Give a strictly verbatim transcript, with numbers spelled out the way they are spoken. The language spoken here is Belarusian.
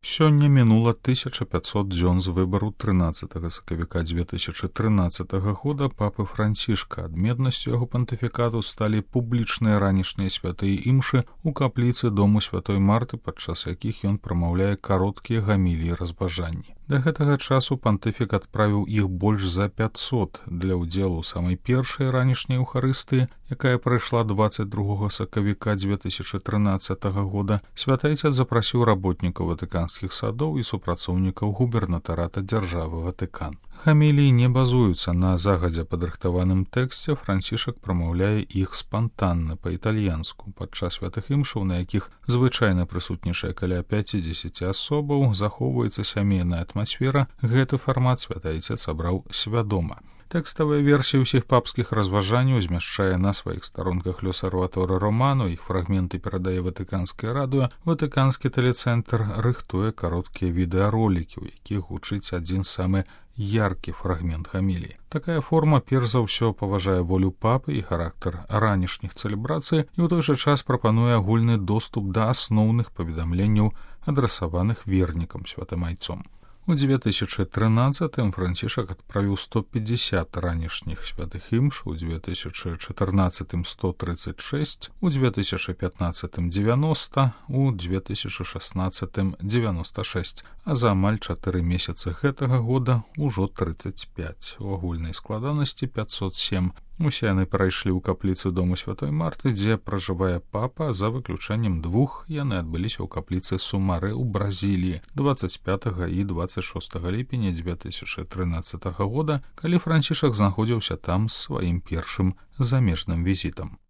Сёння мінула тысяча пятьсот дзён з выбару трынаццатага сакавіка дзве тысячы трынаццатага года папы Францішка. Адметнасцю яго пантыфікату сталі публічныя ранішнія святыя імшы ў капліцы дому святой Марты, падчас якіх ён прамаўляе кароткія гаміліі разважанні. Да гэтага часу пантыфік адправіў іх больш за пятьсот для ўдзелу ў самай першай ранішняй Еўхарыстыі, якая прайшла дваццаць другога сакавіка дзве тысячы трынаццатага года. Святы Айцец запрасіў работнікаў ватыканскіх садоў і супрацоўнікаў губернатарата дзяржавы Ватыкан. Гаміліі не базуюцца на загадзя падрыхтаваным тэксце, Францішак прамаўляе іх спантанна па-італьянску. Падчас святых імшаў, на якіх звычайна прысутнічае каля пяцідзесяці асобаў, захоўваецца сямейная атмасфера, гэты фармат святы Айцец абраў свядома. Тэкставая версія ўсіх папскіх разважанняў змяшчае на сваіх старонках Лёсарваторы Романо, іх фрагменты перадае Ватыканскае радыё, Ватыканскі тэлецэнтр рыхтуе кароткія відэаролікі, у якіх гучыць адзін самы яркі фрагмент гаміліі. Такая форма перш за ўсё паважае волю папы і характар ранішніх цэлебрацый і ў той жа час прапануе агульны доступ да асноўных паведамленняў, адрасаваных вернікам святым Айцом. У дзве тысячы трынаццатым Францішак адправіў сто пятьдесят ранішніх святых імш, у дзве тысячы чатырнаццатым сто тридцать шесть, у дзве тысячы пятнаццатым дзевяноста, у дзве тысячы шаснаццатым дзевяноста шесть, а за амаль чатыры месяцы гэтага года ўжо тридцать пять. У агульнай складанасці пятьсот семь. Усе яны прайшлі ў капліцу дому святой Марты, дзе пражывае папа, за выключэннем двух яны адбыліся ў капліцы Сумары ў Бразіліі дваццаць пятага і дваццаць шостага ліпеня дзве тысячы трынаццатага года, калі Францішак знаходзіўся там з сваім першым замежным візітам.